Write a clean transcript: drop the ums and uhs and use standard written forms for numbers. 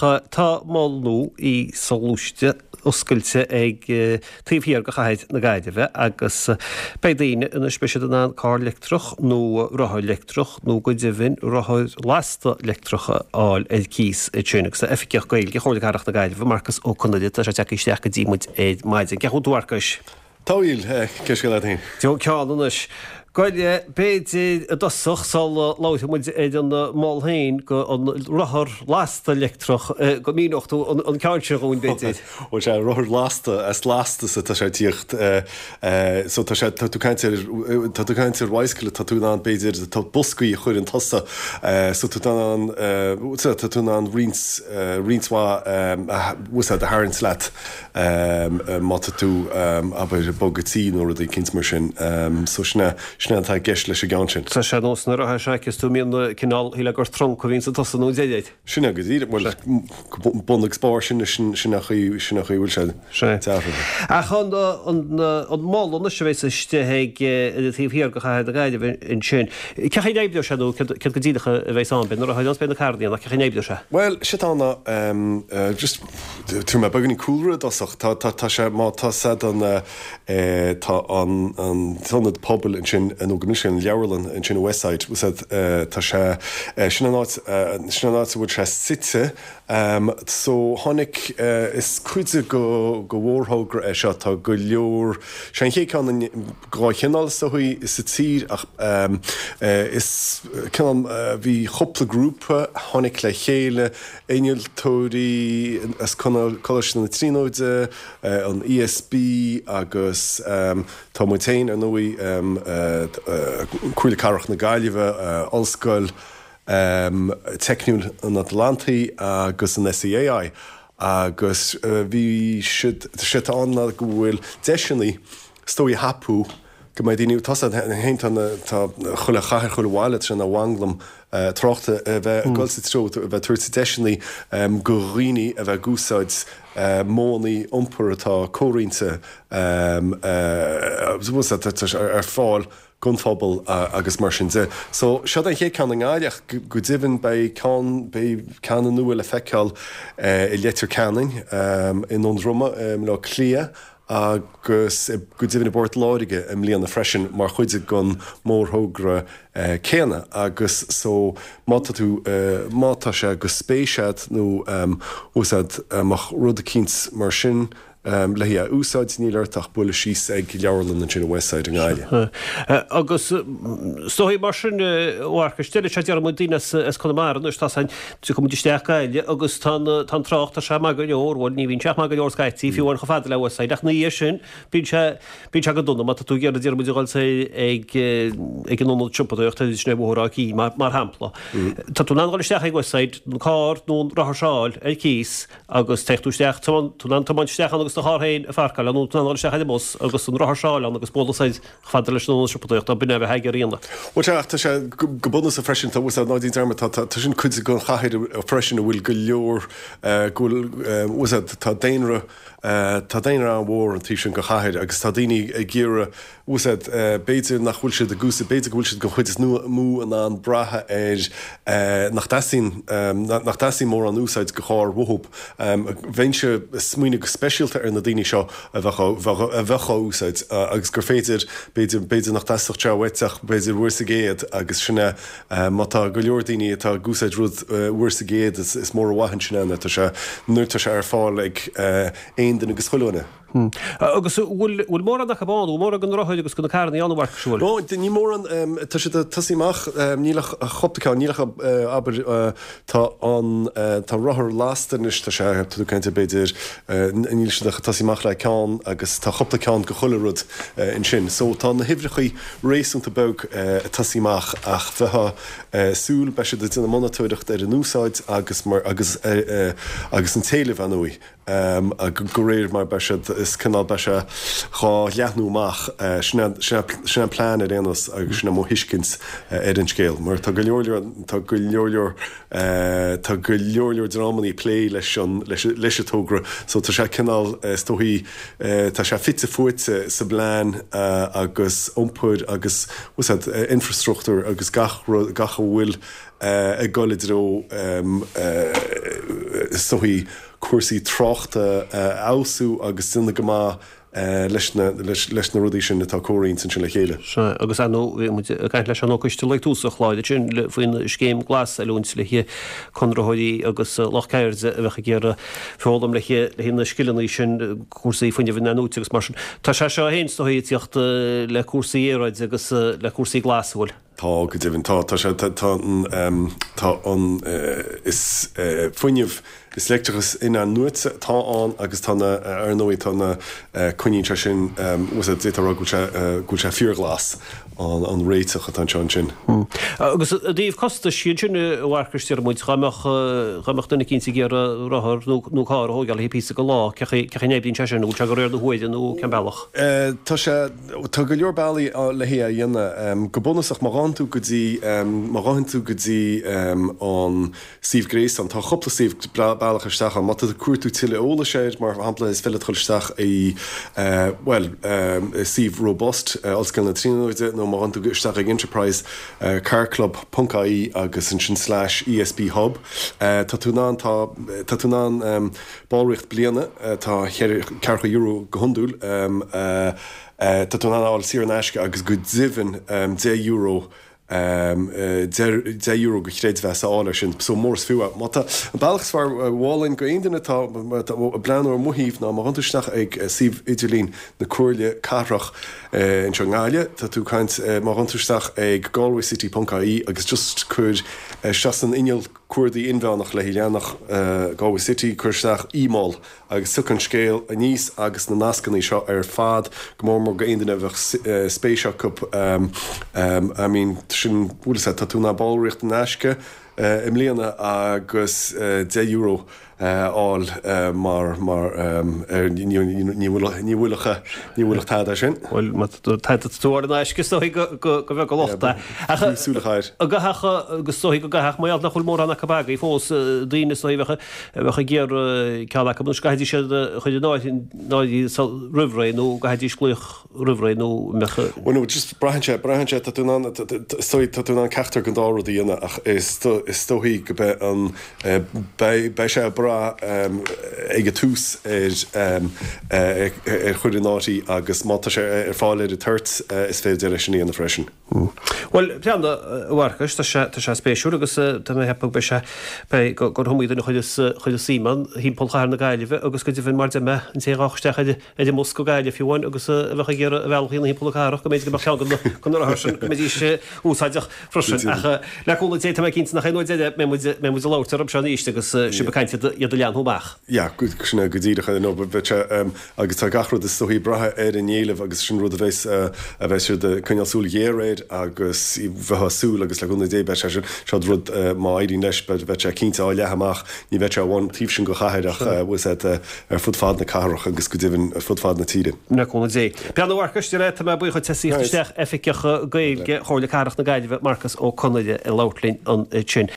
tá mol nua soghluaiste oscailte ag taobh thiar de chathair na Gaillimhe agus beidh daoine anois, beidh siad in ann carr leictreach nó rothar leictreach nó go deimhin rothar lasta leictreach a fháil ar cíos ansin. Agus tá Oifigeach Gaeilge Chomhairle Cathrach na Gaillimhe, Marcus Ó Conaire, tá sé tagtha isteach go dtí muid ar maidin. Cén chaoi a bhfuil tú a Mharcais? Tá a bhuel, cén scéal leat féin? Tá ceann anois. Bhuel, b'fhéidir i dtosach, sula labhróidh muid ar an mol féin go an rothar lasta leictreach, go míneodh tú an ceann sin dhúinn, b'fhéidir. Bhuel, sea, rothar lasta, as lastas atá sé ag tíocht. So tá sé, tá tú caint ar, tá tú caint ar bicycle, tá tú in ann, b'fhéidir, tá boscaí a chuireann tusa, so tá tú in ann, tá tú in ann roinnt, roinnt mhaith, a tharraingt leat. Má tá tú, abair, ag bogadh tí nó rud eicínt mar sin. So sin é, sin é atá i gceist leis an gceann sin. Tá sé nós na rothair seo agus tú mbíonn cineál, shílfeá gur trunc a bhíonn sa tosaigh nó an deireadh. Sin é go díreach, bhuel, bun agus barr sin, sin sin an chaoi, sin an chaoi a bhfuil sé deartha. Ach an, an, an mol anois a bheas istigh ag, ar an taobh thiar de chathair na Gaillimhe ansin, cén chaoi a n-oibreoidh sé nó céard, céard go díreach a bheas ann? Beidh na rothair ann is beidh na carranna ann ach cén chaoi a n-oibreoidh sé? Bhuel, sé atá ann ná, just, Tabharfaidh mé beagáinín cúlra i dtosach. Tá, tá, tá sé, má tá sé don, eh, tá an, an t-ionad pobail ansin, nó go mb'in an leabharlann ansin i Westside, bhfuil 's a'd, eh, tá sé, eh, sin an áit, eh, sin an áit a bhfuil sé suite. Em, so tháinig, eh, is cuid de go, go mhórthogra é seo, tá go leor, sé an chéad ceann in, dá chineál is dóigh sa tír ach, em, eh, is cineál, eh, bhí chúpla grúpa a tháinig le chéile, innealtóirí as Coláiste na Tríonóide, an ESB agus tá muid féin, ar ndóigh, Comhairle Cathrach na Gaillimhe, Ollscoil Teicniúil an Atlantaigh agus an SEAI agus bhí siad, sé atá ann ná go bhfuil deiseanna is dóigh a thapú go mbeidh daoine, tá 's a'd féin, tá na, tá chuile chathair, chuile bhaile, tá sé ina mhanglam tráchta a bheith ag dul sa treo, a bheith ag tabhairt deiseanna go dhaoine a bheith ag úsáid modhanna iompair atá comhroinnte ar fáil don phobal agus mar sin de. So, seod é an chéad ceann i nGaillimh ach go deimhin beidh ceann, beidh ceann nua le feiceáil i Leitir Ceanainn, i nDún Droma i mBaile Átha Cliath agus go deimhin i bPort Láirge i mbliana freisin mar chuid den mhórthogra céanna agus so má tá tú, má tá sé go spéis a'd nó bhfuil 's a'd mbeadh rud eicínt mar sin le haghaidh a úsáid níl ort ach bualadh síos ag leabharlann ansin i Westside i nGaillimh. Agus is dóigh mar sin a Mharcais, deir sé déarfaidh muid daoine as Conamara anois tá san Tiocfaidh muid isteach Gaillimh agus tá an tá an trácht, tá sé maith go leor, bhuel ní bhíonn sé ach maith go leor scaití, fiú amháin chomh fada le Westside, ach ina dhiaidh sin bíonn sé, bíonn sé go dona má tá tú ag iarraidh déarfaidh muid a dhul soir ag ag an ionad siopadóireachta sin ar Bhóthar Áth Cinn mar mar shampla. Tá tú in ann dhul isteach ag Westside, an carr nó an rothar seo a fháil ar cíos agus téigh tú isteach, tú in ann tiomáint isteach ann agus do charr féin a pharcáil ann nó tú in ann dhul isteach ar an mbus agus an rothar seo a fháil ann agus bualadh soir chomh fada leis an ionad siopadóireachta, b'in é a bheith ag iarraidh a dhéanamh. Bhuel sea, ach tá sé go bunúsach freisin, tá, bhfuil 's a'd, ná déan dearmad, tá, tá, tá sin cuid den chathair freisin a bhfuil go leor, go bhfuil, bhfuil 's a'd, tá daonra, tá daonra an-mhór an taobh sin den chathair agus tá daoine ag iarraidh, bhfuil 's a'd, b'fhéidir nach bhfuil siad ag úsáid, b'fhéidir go bhfuil siad den chuid is mó in ann brath ar, nach dteastaíonn, nach dteastaíonn mórán úsáid de charr uathu. Bheinnse ag smaoineamh go speisialta ar na daoine seo a bheadh á, a bheadh á úsáid agus gur féidir, b'fhéidir, b'fhéidir nach dteastódh sé uait ach b'fhéidir uair sa gcéad agus sin é, má tá go leor daoine atá ag úsáid rud uair sa gcéad is mór an mhaith ansin é nuair atá sé, nuair atá sé ar fáil ag aon duine agus chuile dhuine. Agus an bhfuil, bhfuil mórán acu ann, bhfuil mórán de na rothair agus de na carrannaí ann, a Mharcais, an bhfuil? Ó, níl mórán, tá siad ag tosaí amach, níl ach chúpla ceann, níl ach, abair, tá an, tá rothar lasta anois, tá sé, tá tú ag caint ar b'fhéidir, níl siad ach ag tosaí amach le ceann agus tá chúpla ceann de chuile rud ansin. So tá na huimhreachaí réasúnta beag ag tosaí amach ach bheifeá ag súil, beidh siad ag déanamh monatóireacht ar an úsáid agus mar, agus, agus an t-éileamh, ar ndóigh. De réir mar beidh siad, is cineál, beidh sé dhá leathnú amach. Sin é, sin é, sin é an plean ar aon nós agus sin é mo thuiscint ar an scéal. Mar tá go leor leor, tá go leor leor, tá go leor leor dreamanna ag plé leis an, leis, leis an togra so tá sé cineál, is dóichí, tá sé fite fuaite sa bplean agus iompair agus, bhfuil 's a'd, infrastruchtúr agus gach rud, gach a bhfuil ag dul i dtreo, is dóichí, cúrsaí tráchta a fheabhsú agus déanamh go maith leis na leis na rudaí sin atá comhroinnte ansin le chéile. Sea, agus ar ndóigh bhí muid ag caint le Seán Ó Coistealbha ag tús an chláir ansin faoin scéim glas, oiliúint le haghaidh conraitheoirí agus lucht ceirde a bheadh ag iarraidh foghlaim le haghaidh na scileanna sin, cúrsaí fuinnimh in-athnuaite agus mar sin. Tá sé seo féin is dóigh ag tíocht le cúrsaí aeráide agus le cúrsaí glas, an bhfuil? Tá, go deimhin. Tá, tá sé, tá, tá an, tá an, is fuinneamh, is leictreachas in-athnuaite atá ann agus tá na, ar ndóigh, tá na, coinníonn sé sin, bhfuil 's a'd, d'fhéadfá a rá go bhfuil sé, go bhfuil sé fíorghlas, an, an réiteach atá anseo ansin. Agus i dtaobh costais, ansin, a Mharcais, deir muid, dá mbeadh, dá mbeadh duine eicínt ag iarraidh rothar nó, nó carr a thógáil le haghaidh píosa de lá, cé chaoi, cé chaoi a n-oibríonn sé sin, an bhfuil sé de réir na huaire nó cén bealach? Tá sé. Tá go leor bealaí le hé a dhéanamh. Go bunúsach, má ghabhann tú go dtí, má ghabhann tú go dtí an suíomh gréasáin, tá cúpla suíomh bealach isteach ann. Má tá tú ag cuartú tuilleadh eolais air, mar shampla, is féidir leat dul isteach i, bhuel, suíomh Robust, Ollscoil na Tríonóide, nó má ghabhann tú isteach ag Enterprise Car Club ponc ie agus ansin slash ESB Hub, tá tú in ann, tá, tá tú in ann, Ballraíocht bliana atá ceathracha euro go hiondúil. Tá tú in ann a fháil saor in aisce agus go deimhin €10 €10 de chreidmheas a fháil air sin. So mór is fiú é. Má tá, an bealach is fearr mholfainn go aon duine atá ag breathnú ar mo thaobh ná má ghabhann tú isteach ag suíomh idirlín na Comhairle Cathrach anseo i nGaillimh, tá tú ag caint, má ghabhann tú isteach ag galwaycity ponc ie agus just cuir isteach san inneall cuardaigh inmheánach le leathanach Galway City, cuir isteach eMol agus tiocfaidh an scéal aníos agus na nascanna seo ar fad, go mór mór go aon duine a bheadh spéis acu. I mean, sin, bhfuil 'fhios a'd, tá tú in ann ballraíocht in aisce i mbliana agus €10 a fháil mar, mar, ar, ní, ní bhfuil, ní bhfuil ach, ní bhfuil ach tada sin. Bhuel, má tá tú ar in aisce is dóigh go, go, go bheag a locht é. Ach, Ní súil a chair. An gcaithfeadh, agus is dóigh go gcaithfeadh, mar gheall nach bhfuil mórán acu agaibh fós, daoine is dóigh a bheadh, a bheadh ag iarraidh ceann acu, anois gcaithfidís iad a chur in áirithe roimh ré nó gcaithfidís glaoch roimh ré nó an mbeadh. Bhuel no, just braitheann sé, braitheann sé, tá tú in ann, is dóigh, tá tú in ann ceachtar den dá rud a dhéanamh ach is is dóichí go beidh an, beidh, beidh sé ag brath ag an tús ar ar chur in áirithe agus má tá sé ar fáil ar an toirt is féidir é sin a dhéanamh freisin. Bhuel, breathnaigh, a Mharcais, tá sé, tá sé spéisiúil agus tá mé ag ceapadh go mbeidh sé, beidh, gur iomaí duine a chuirfeas, chuirfeas suim ann thimpeall chathair na Gaillimhe agus go deimhin mar deir mé, an té a ghabhfadh isteach ar, ar an mbus go Gaillimh fiú amháin agus a bheadh ag iarraidh a bhealach a dhéanamh thimpeall na cathrach, go mb'fhéidir go mbeadh ceann de na rothair sin, go mbeidís úsáideach freisin. Ach le cúnamh Dé, tá mé cinnte nach é an uair deireadh mbeidh muid, mbeidh muid ag labhairt orthu seo arís agus sibh ag caint iad a leathnú amach. Yeah, sin é go díreach, no, beidh sé, agus tá gach rud is dóichí ag brath ar an éileamh agus sin rud a bheas, a bheas siad ag coinneáil súil ghéar air agus bheifeá ag súil agus le cúnamh Dé beidh sé sin, seo rud má éiríonn leis beidh sé cinnte á leathadh amach, ní bheidh sé amháin taobh sin den chathair ach bhfuil 's a'd ar fud fad na cathrach agus go deimhin ar fud fad na tíre. Le cúnamh Dé. Breathnaigh a Mharcais, de réir, tá mé buíoch duit as theacht isteach, Oifigeach Gaeilge Chomhairle Cathrach na Gaillimhe, Marcas Ó Conaire ag labhairt linn ansin.